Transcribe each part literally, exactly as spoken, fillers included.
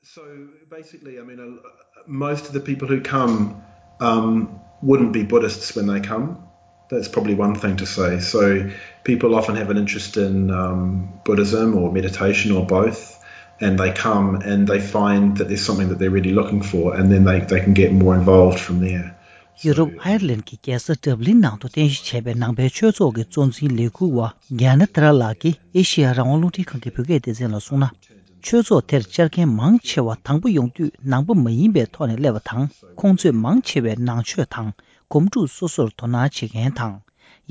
So basically, I mean, uh, most of the people who come um, wouldn't be Buddhists when they come. That's probably one thing to say. So people often have an interest in um, Buddhism or meditation or both, and they come and they find that there's something that they're really looking for, and then they, they can get more involved from there. ཡུ་རོབ་ཨའི་ལན་གྱི་རྒྱལ་ས་ཌབ་ལིན་ནང་དུ་རྟེན་གཞི་བྱས་པའི་ནང་པའི་ཆོས་ཚོགས་ཀྱི་གཙོ་འཛིན་ལས་འཁུར་བ་རྒྱ་ནི་དྷ་ར་ལགས་ཀྱིས་ཨེ་ཤེ་ཡ་རང་དབང་རླུང་འཕྲིན་ཁང་གི་བོད་སྐད་སྡེ་ཚན་ལ་གསུངས་ན། ཆོས་ཚོགས་དེར་བཅར་མཁན་མང་ཆེ་བ་དང་པོ་ཡོང་དུས་ནང་པ་མ་ཡིན་པའི་ཐོག་ནས་སླེབས་པ་དང་། ཁོང་ཚོས་མང་ཆེ་བས་ནང་ཆོས་དང་སྒོམ་སྒྲུབ་སོ་སོར་དོ་སྣང་བྱེད་མཁན་དང་།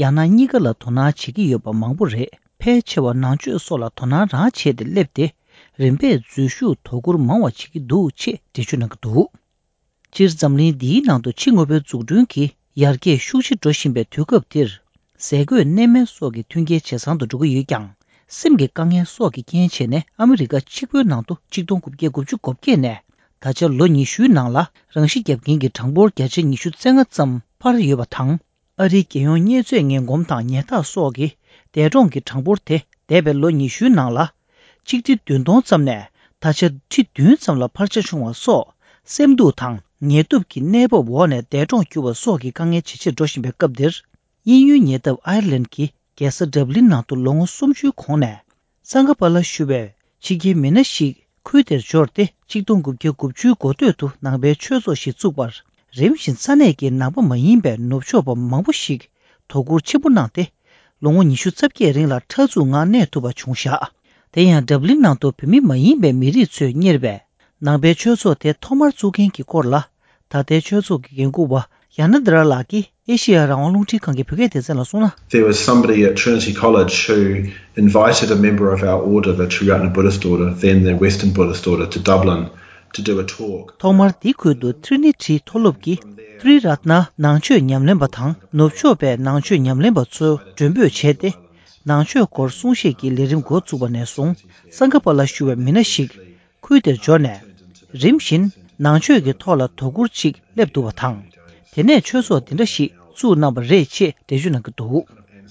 ཡང་ན་གཉིས་ཀ་ལ་དོ་སྣང་བྱེད་ཀྱི་ཡོད་པ་མང་པོ་རེད། ཕལ་ཆེ་བ་ནང་ཆོས་སོགས་ལ་དོ་སྣང་རང་བྱས་ཏེ་སླེབས་ཏེ། རིམ་པས་འཛུལ་ཞུགས་དོ་ཁུར་མང་བ་བྱེད་ཀྱི་འདུག་ཅེས་འགྲེལ་བརྗོད་གནང་གི་འདུག་སྤྱིར་འཛམ་གླིང་འདིའི་ནང་དུ་ཕྱི་དངོས་པོའི་འཛུགས་སྐྲུན་གྱི་ཡར་རྒྱས་ཤུགས་ཆེ་འགྲོ་བཞིན་པའི་དུས་སྐབས་འདིར། ཟས་གོས་གནས་མལ་སོགས་ཀྱི་མཐུན་རྐྱེན་ཇེ་བཟང་དུ་འགྲོ་གི་ཡོད་ཀྱང་། སེམས་ཀྱི་དཀའ་ངལ་སོགས་ཀྱི་རྐྱེན་བྱས་ནས་ཨ་མི་རི་ཀ་གཅིག་པུའི་ནང་དུ་ཆིག་སྟོང་དགུ་བརྒྱ་དགུ་བཅུ་གོ་བརྒྱད་ནས་ད་ཆ་ལོ་ཉི་ཤུའི་ནང་ལ་རང་ཤི་བརྒྱབ་མཁན་གྱི་གྲངས་འབོར་བརྒྱ་ཆ་ཉི་ཤུ་རྩ་ལྔ་ཙམ་འཕར་ཡོད་པ་དང་། ཨ་རིའི་རྒྱལ་ཡོངས་བརྙས་བཅོས་ངན་གོམས་དང་ཉེས་རྟགས་སོགས་ཀྱི་འདས་གྲོངས་ཀྱི་གྲངས་འབོར་དེ་འདས་པའི་ལོ་ཉི་ཤུའི་ནང་ལ་ཆིག་ཁྲི་བདུན་སྟོང་ཙམ་ནས་ད་ཆ་ཁྲི་བདུན་ཙམ་ལ་འཕར་ཆ་བྱུང་བ་སོགས། སེམས་སྡུག་དང་ངལ་དུབ་ཀྱི་གནས་བབ་འོག་ནས་འདས་གྲོངས་གྱུར་བ་སོགས་ཀྱི་དཀའ་ངལ་ཇེ་ཆེར་འགྲོ་བཞིན་པའི་སྐབས་འདིར། དབྱིན་ཡུལ་ཉེ་འདབས་ཨའེར་ལན་གྱི་རྒྱལ་ས་ཌབ་ལིན་ནང་དུ་ལོ་ངོ་སུམ་ཅུའི་གོང་ནས། སང་ག་པ་ལ་བཞུགས་པའི་ཕྱི་རྒྱལ་མི་སྣ་ཞིག་ཁུལ་དེར་འབྱོར་ཏེ། ཆིག་སྟོང་དགུ་བརྒྱ་དགུ་བཅུའི་འགོ་སྟོད་དུ་ནང་པའི་ཆོས་ཚོགས་ཤིག་བཙུགས་པར། རིམ་བཞིན་ས་གནས་ཀྱི་ནང་པ་མ་ཡིན་པའི་ནུབ་ཕྱོགས་པ་མང་པོ་ཞིག་དོ་ཁུར་ཆེན་པོ་གནང་སྟེ། ལོ་ངོ་ཉི་ཤུ་རྩ་བརྒྱད་རིང་ལ་མཐར་ཐུག་ངང་གནས་ཐུབ་པ་བྱུང་བཞག་དེ་ཡང་ཌབ་ལིན་ནང་དུ་བོད་མི་མ་ཡིན་པའི་མི་རིགས་ཚོས་གཉེར་བའི་ནང་པའི་ཆོས་ཚོགས་དེ་ཐོག་མར་བཙུགས་མཁན་གྱི་སྐོར་ལ། ད་ལྟའི་ཆོས་ཚོགས་ཀྱི་འགན་འཁུར་བ་ཡ་ན་དྷ་ར་ལགས་ཀྱིས་ཨེ་ཤེ་ཡ་རང་དབང་རླུང་འཕྲིན་ཁང་གི་བོད་སྐད་སྡེ་ཚན་ལ་གསུངས་ན། There was somebody at Trinity College who invited a member of our order, the Triratna Buddhist Order, then the Western Buddhist Order, to Dublin to do a talk. ཐོག་མར་འདི་ཁུལ་དུ་ཊི་རི་ནི་ཊི་མཐོ་སློབ་ཀྱི་ཏྲི་རཏྣ་ནང་ཆོས་ཉམས་ལེན་པ་དང་ནུབ་ཕྱོགས་པའི་ནང་ཆོས་ཉམས་ལེན་པ་ཚོ་མགྲོན་འབོད་བྱས་ཏེ། ནང་ཆོས་སྐོར་གསུང་བཤད་ཀྱི་ལས་རིམ་འགོ་བཙུགས་པ་ནས་བཟུང་སང་ག་པ་ལ་བཞུགས་པའི་མི་སྣ་ཞིག་ཁུལ་དེར་འབྱོར་ནས། རིམ་བཞིན་ནང་ཆོས་ཀྱི་ཐོག་ལ་དོ་ཁུར་ཅིག་སླེབས་འདུག་པ་དང་། དེ་ནས་ཆོས་ཚོགས་འདི་འདྲ་ཞིག་བཙུགས་གནང་བ་རེད་ཅེས་འགྲེལ་བརྗོད་གནང་གི་འདུག་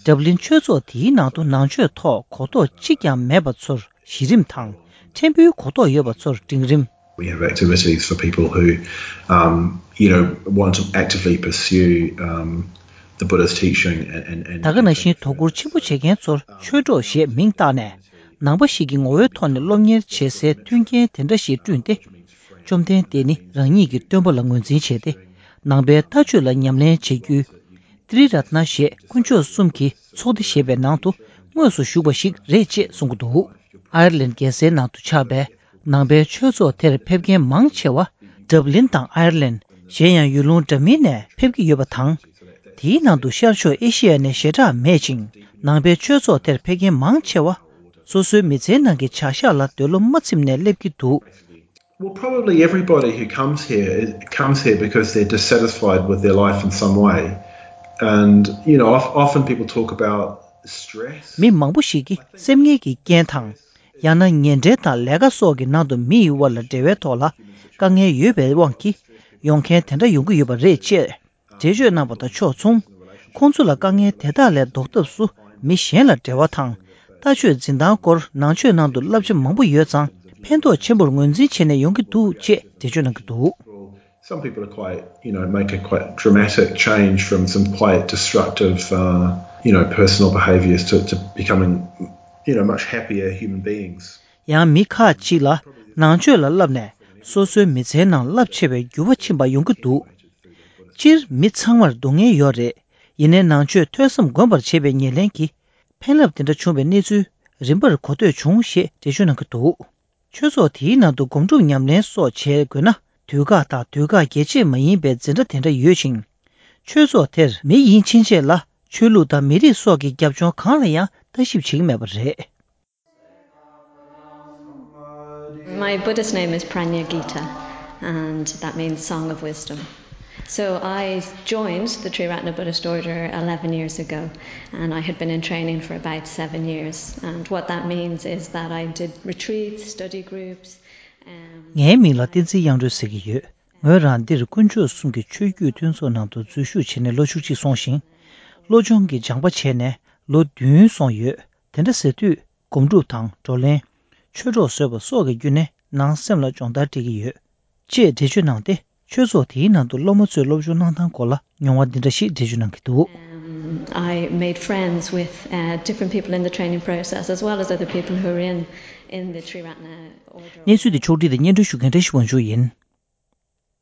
ཌབ་ལིན་ཆོས་ཚོགས་དེའི་ནང་དུ་ནང་ཆོས་ཐོག་གོ་རྟོགས་གཅིག་ཀྱང་མེད་པ་ཚོར་གཞི་རིམ་དང་། ཕྲན་བུའི་གོ་རྟོགས་ཡོད་པ་ཚོར་འབྲིང་རིམ། We have activities for people who, um, you know, want to actively pursue um, the Buddhist teaching and, and, and ད་ག་ནང་བཞིན་དོ་ཁུར་ཆེན་པོ་བྱེད་མཁན་ཚོར་ཆོས་གྲོགས་ཞེས་མིང་བཏགས་ནས། ནང་པ་ཞིག་གི་ངོ་བོའི་ཐོག་ནས་སློབ་གཉེར་བྱེད་སའི་མཐུན་རྐྱེན་དེ་འདྲ་ཞིག་བསྐྲུན་ཏེ། བཅོམ་ལྡན་འདས་ནི་རང་ཉིད་ཀྱི་སྟོན་པ་ལ་ངོས་འཛིན་བྱས་ཏེ། ནང་པའི་ལྟ་སྤྱོད་ལ་ཉམས་ལེན་བྱེད་རྒྱུའི་ཏྲི་རཏྣ་ཞེས་དཀོན་མཆོག་གསུམ་གྱི་ཚོགས་སྡེ་ཞེས་པའི་ནང་དུ་དངོས་སུ་ཞུགས་པ་ཞིག་རེད་ཅེས་གསུང་གི་འདུག་ཨའེར་ལན་རྒྱལ་སའི་ནང་དུ་ཆགས་པའི་ནང་པའི་ཆོས་ཚོགས་དེར་ཕེབས་མཁན་མང་ཆེ་བ་ཌབ་ལིན་དང་ཨའེར་ལན། གཞན་ཡང་ཡུལ་ལུང་འདྲ་མིན་ནས་ཕེབས་ཀྱི་ཡོད་པ་དང་། དེའི་ནང་དུ་ཤར་ཕྱོགས་ཨེ་ཤེ་ཡ་ནས་ཞེ་དྲག་མེད་ཅིང་། ནང་པའི་ཆོས་ཚོགས་དེར་ཕེབས་མཁན་མང་ཆེ་བ། སོ་སོའི་མི་ཚེའི་ནང་གི་བྱ་གཞག་ལ་འདོད་བློ་མ་ཚིམ་ནས་སླེབས་ཀྱི་འདུག Well, probably everybody who comes here is- comes here because they're dissatisfied with their life in some way. And, you know, of- often people talk about stress. མི་མང་པོ་ཞིག་གིས་སེམས་ངལ་གྱི་རྐྱེན་དང་། ཡང་ན་ཉེ་འབྲེལ་དང་ལས་ཀ་སོགས་ཀྱི་ནང་དུ་མི་ཡི་དབར་ལ་འབྲེལ་བའི་ཐོག་ལ་དཀའ་ངལ་ཡོད་པའི་དབང་གིས་ཡོང་མཁན་དེ་འདྲ་ཡོང་གི་ཡོད་པ་རེད་ཅེས། འགྲེལ་བརྗོད་གནང་བ་དང་ཕྱོགས་མཚུངས། ཁོང་ཚོ་ལ་དཀའ་ངལ་དེ་དག་ལས་ལྡོག་ཐབས་སུ་མི་གཞན་ལ་འབྲེལ་བ་དང་། ལྟ་སྤྱོད་འཛིན་སྟངས་སྐོར་ནང་ཆོས་ནང་དུ་བསླབ་བྱ་མང་པོ་ཡོད་ཙང་ཕན་ཐོགས་ཆེན་པོར་ངོས་འཛིན་བྱས་ནས་ཡོང་གི་འདུག་ཅེས་འགྲེལ་བརྗོད་གནང་གི་འདུག Some people are quite, you know, make a quite dramatic change from some quite destructive, uh, you know, personal behaviours to, to becoming, you know, much happier human beings. ཡང་མི་ཁག་ཅིག་ལ་ནང་ཆོས་ལ་བསླབས་ནས་སོ་སོའི་མི་ཚེའི་ནང་རླབས་ཆེ་བའི་འགྱུར་བ་ཕྱིན་པ་ཡོང་གི་འདུག་སྤྱིར་མི་ཚང་མར་སྡུག་བསྔལ་ཡོད་རེད། ཡིན་ནའི་ནང་ཆོས་ཐོས་བསམ་སྒོམ་པར་བྱེད་པའི་ཉེར་ལེན་གྱིས་ཕན་རླབས་དེ་འདྲ་བྱུང་བའི་གནས་ཚུལ་རིམ་པར་གོ་ཐོས་བྱུང་ཞེས་འགྲེལ་བརྗོད་གནང་གི་འདུག་ཆོས་ཚོགས་དེའི་ནང་དུ་སྒོམ་སྒྲུབ་ཉམས་ལེན་སོགས་བྱེད་དགོས་ན་དུས་བཀག་དང་དུས་བཀག་རྒྱས་ཆད་མ་ཡིན་པའི་འཛིན་གྲྭ་དེ་འདྲ་ཡོད་ཅིང་། ཆོས་ཚོགས་དེར་མི་ཡིན་ཕྱིན་ཆད་ལ་ཆོས་ལུགས་དང་མི་རིགས་སོགས་ཀྱི་རྒྱབ་ལྗོངས་གང་ལ་ཡང་ལྟ་ཞིབ་བྱེད་ཀྱི་མེད་པ་རེད། My Buddhist name is Pranya Gita, and that means Song of Wisdom. So I joined the Triratna Buddhist Order eleven years ago, and I had been in training for about seven years. And what that means is that I did retreats, study groups. Um, ངའི་མིང་ལ་བསྟན་འཛིན་དབྱངས་སྒྲོན་ཟེར་གྱི་ཡོད། ངོས་རང་འདིར་དཀོན་མཆོག་གསུམ་གྱི་ཆོས་བརྒྱུད་མཐུན་ཚོགས་ནང་དུ་འཛུལ་ཞུགས་བྱས་ནས་ལོ་བཅུ་གཅིག་སོང་ཞིང་། བློ་སྦྱོང་གི་སྦྱངས་པ་བྱས་ནས་ལོ་བདུན་སོང་ཡོད། དེ་འདྲ་ཟེར་དུས་སྒོམ་སྒྲུབ་དང་བགྲོ་གླེང་། ཆོས་གྲོགས་བཟོས་པ་སོགས་ཀྱི་བརྒྱུད་ནས་ ནང་སེམས་ལ་སྦྱོང་བརྡར་སྤྲད་ཀྱི་ཡོད། ཅེས་འགྲེལ་བརྗོད་གནང་སྟེ། ཆོས་ཚོགས་དེའི་ནང་དུ་སློབ་མ་ཚོས་སློབ་སྦྱོང་གནང་སྟངས་སྐོར་ལ་མྱོང་བ་འདི་འདྲ་ཞིག་འགྲེལ་བརྗོད་གནང་གི་འདུག Um, I made friends with uh, different people in the training process, as well as other people who are in, in the Triratna order. གནས་ཚུལ་འདི་ཕྱོགས་སྒྲིག་དང་སྙན་སྒྲོན་ཞུ་མཁན་བཀྲ་ཤིས་དབང་ཕྱུག་ཡིན།